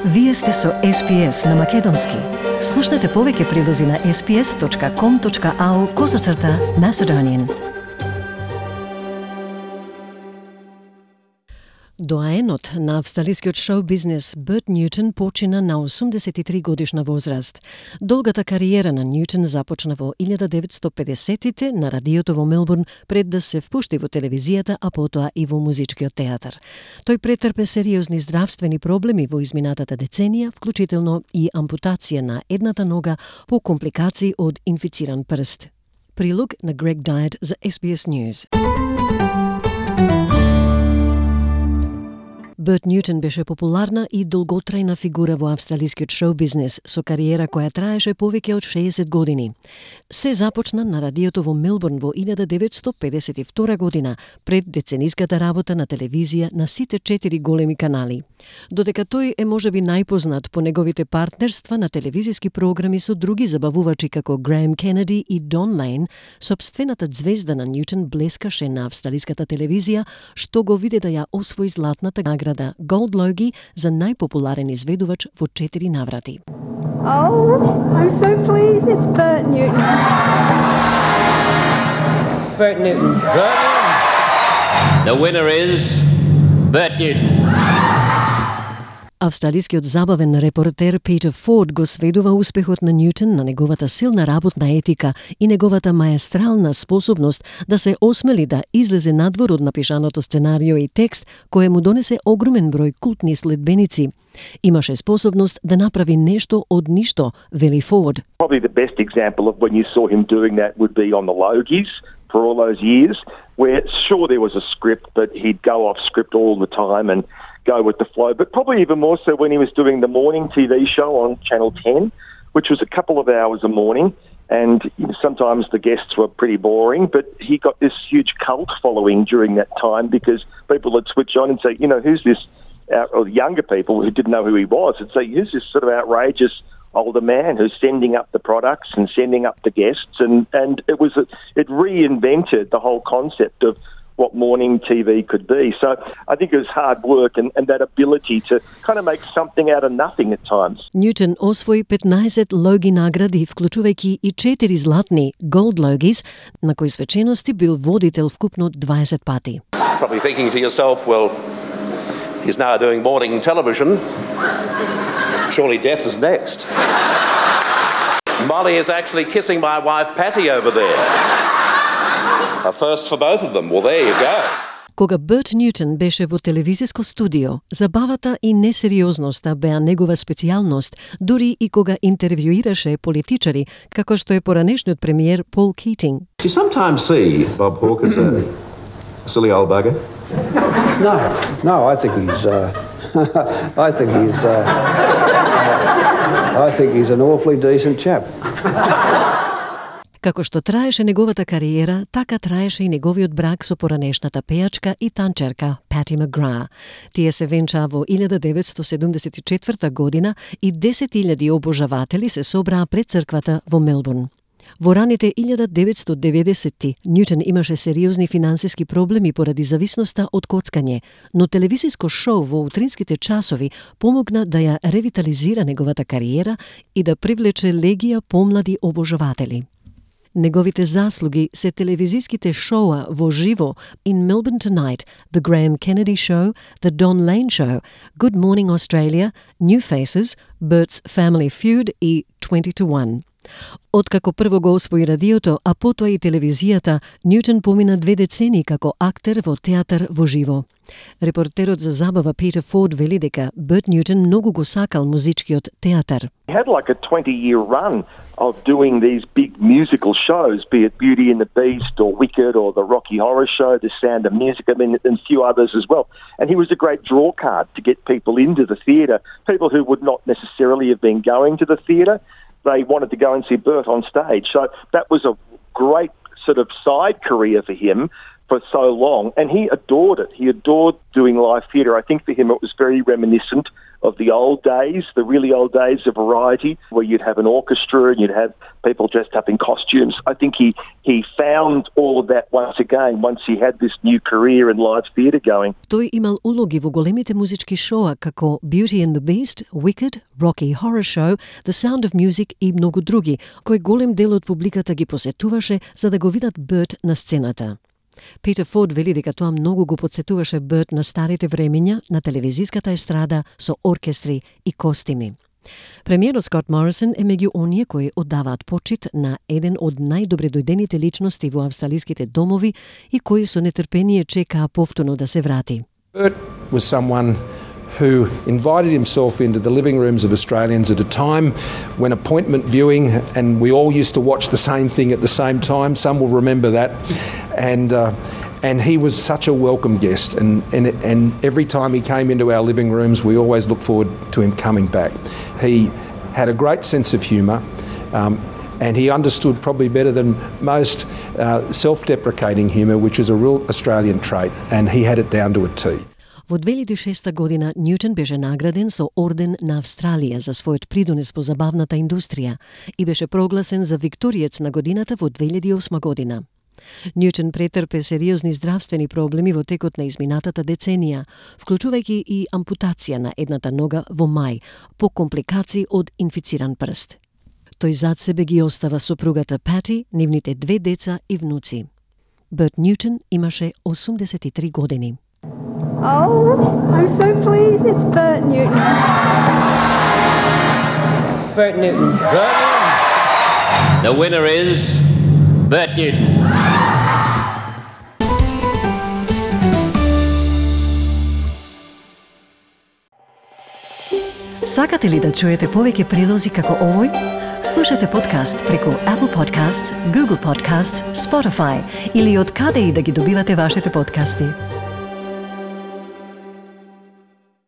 Вие сте со SPS на Македонски. Слушнете повеќе прилози на sps.com.au/Macedonian. Доаенот на австралискиот шоу-бизнес Берт Ньютон почина на 83 годишна возраст. Долгата кариера на Ньютон започна во 1950-тите на радиото во Мелбурн пред да се впушти во телевизијата, а потоа и во музичкиот театар. Тој претрпе сериозни здравствени проблеми во изминатата деценија, вклучително и ампутација на едната нога по компликации од инфициран прст. Прилог на Грег Дайет за SBS News. Берт Ньютон беше популарна и долготрајна фигура во австралискиот шоу-бизнес со кариера која траеше повеќе од 60 години. Се започна на радиото во Мелбурн во 1952 година, пред децениската работа на телевизија на сите 4 големи канали. Додека тој е можеби најпознат по неговите партнерства на телевизиски програми со други забавувачи како Греем Кенеди и Дон Лейн, сопствената звезда на Ньютон блескаше на австралиската телевизија, што го виде да ја освои златната награда Gold Logie за најпопуларен изведувач во 4 наврати. Oh, I'm so pleased. It's Bert Newton. Bert Newton. The winner is Bert Newton. Австралискиот забавен репортер Питер Форд го сведува успехот на Ньютон на неговата силна работна етика и неговата маестрална способност да се осмели да излезе надвор од напишаното сценарио и текст кој му донесе огромен број култни следбеници. Имаше способност да направи нешто од ништо, вели Форд. Probably the best example of when you saw him doing that would be on the Logies for all those years, where sure there was a script, but he'd go off script all the time and go with the flow, but probably even more so when he was doing the morning TV show on Channel 10, which was a couple of hours a morning, and sometimes the guests were pretty boring, but he got this huge cult following during that time because people would switch on and say, you know, who's this, or younger people who didn't know who he was, would say, who's this sort of outrageous older man who's sending up the products and sending up the guests, and it reinvented the whole concept of what morning TV could be. So I think it was hard work and that ability to kind of make something out of nothing at times. Ньютон освои 15 Логи награди, вклучувајќи и 4 златни Gold Logies, на кои свечености бил водител вкупно 20 пати. Probably thinking to yourself, well, he's now doing morning television. Surely death is next. Molly is actually kissing my wife Patty over there. A first for both of them. Well, there you go. Кога Берт Ньютон беше во телевизиско студио, забавата и несериозноста беа негова специјалност, дури и кога интервјуираше политичари, како што е поранешниот премиер Пол Keating. Do you sometimes see Bob Hawke as a silly old bugger? No, I think he's an awfully decent chap. Како што траеше неговата кариера, така траеше и неговиот брак со поранешната пејачка и танчерка Пати Магра. Тие се венчаа во 1974 година и 10.000 обожаватели се собраа пред црквата во Мелбурн. Во раните 1990-ти Ньютон имаше сериозни финансиски проблеми поради зависноста од коцкање, но телевизиско шоу во утринските часови помогна да ја ревитализира неговата кариера и да привлече легија помлади обожаватели. Неговите заслуги се телевизиските шоуа во живо In Melbourne Tonight, The Graham Kennedy Show, The Don Lane Show, Good Morning Australia, New Faces, Bert's Family Feud и 20 to 1. Откако прво го освои радиото, а потоа и телевизијата, Ньютон помина 2 децени како актер во театар во живо. Репортерот за забава Питер Форд вели дека Берт Ньютон многу го сакал музичкиот театар. He had like a 20-year run of doing these big musical shows, be it Beauty and the Beast or Wicked or the Rocky Horror Show, The Sound of Music, I mean, and a few others as well. And he was a great draw card to get people into the theatre, people who would not necessarily have been going to the theatre. They wanted to go and see Bert on stage. So that was a great sort of side career for him for so long, and he adored it. He adored doing live theatre. I think for him it was very reminiscent of the old days, the really old days of variety, where you'd have an orchestra and you'd have people dressed up in costumes. I think he found all of that once again, once he had this new career in live theatre going. Тој имал улоги во големите музички шоа како Beauty and the Beast, Wicked, Rocky Horror Show, The Sound of Music и многу други, кои голем дел од публиката ги посетуваше за да го видат Берт на сцената. Питер Форд вели дека тоа многу го подсетуваше Берт на старите времења на телевизиската естрада со оркестри и костими. Премиерот Скот Морисон е меѓу оние кои оддаваат почит на еден од најдобре дојдените личности во австралиските домови и кои со нетрпение чекаа повторно да се врати. Bert was someone who invited himself into the living rooms of Australians at a time when appointment viewing, and we all used to watch the same thing at the same time. Some will remember that. And he was such a welcome guest, and every time he came into our living rooms, we always looked forward to him coming back. He had a great sense of humour, and he understood probably better than most self-deprecating humour, which is a real Australian trait, and he had it down to a T. Во 2006 година Ньютон беше награден со Орден на Австралија за својот придонес по забавната индустрија и беше прогласен за викториец на годината во 2008 година. Ньютон претрпе сериозни здравствени проблеми во текот на изминатата деценија, вклучувајќи и ампутација на едната нога во мај, по компликации од инфициран прст. Тој зад себе ги остава сопругата Пати, нивните 2 деца и внуци. Берт Ньютон имаше 83 години. Oh, I'm so pleased. It's Bert Newton. Bert Newton. Bert Newton. The winner is Bert Newton. Сакате ли да чуете повеќе прилози како овој? Слушате подкаст преку Apple Podcasts, Google Podcasts, Spotify или од каде и да ги добивате вашите подкасти.